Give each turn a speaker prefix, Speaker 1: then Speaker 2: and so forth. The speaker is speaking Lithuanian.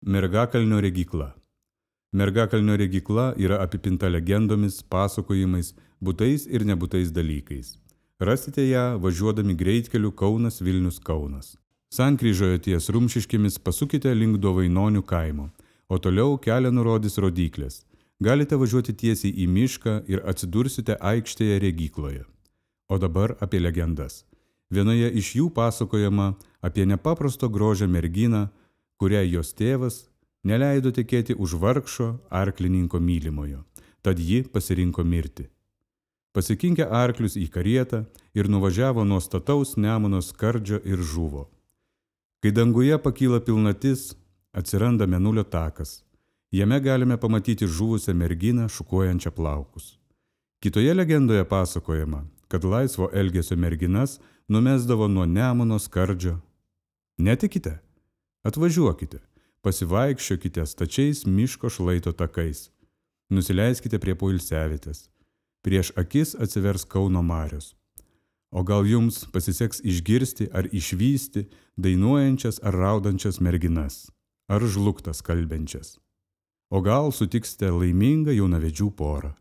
Speaker 1: Mergakalnio regykla. Mergakalnio regykla yra apipinta legendomis, pasakojimais, būtais ir nebūtais dalykais. Rasite ją važiuodami greitkeliu Kaunas-Vilnius-Kaunas. Sankryžoje ties Rumšiškėmis pasukite link Dovainonių kaimo, o toliau kelią nurodys rodyklės. Galite važiuoti tiesiai į mišką ir atsidursite aikštėje regykloje. O dabar apie legendas. Vienoje iš jų pasakojama apie nepaprasto grožio merginą, kuriai jos tėvas neleido tekėti už vargšo arklininko mylimojo, tad ji pasirinko mirtį. Pasikinkė arklius į karietą ir nuvažiavo nuo stataus Nemuno skardžio ir žuvo. Kai danguje pakyla pilnatis, atsiranda Mėnulio takas. Jame galime pamatyti žuvusią merginą šukuojančią plaukus. Kitoje legendoje pasakojama, kad laisvo elgesio merginas numesdavo nuo Nemuno skardžio. Netikite? Atvažiuokite, pasivaikščiokite stačiais miško šlaito takais. Nusileiskite prie poilsiavietės. Prieš akis atsivers Kauno marios. O gal jums pasiseks išgirsti ar išvysti dainuojančias ar raudančias merginas, ar žlugtas kalbenčias. O gal sutiksite laimingą jaunavedžių porą.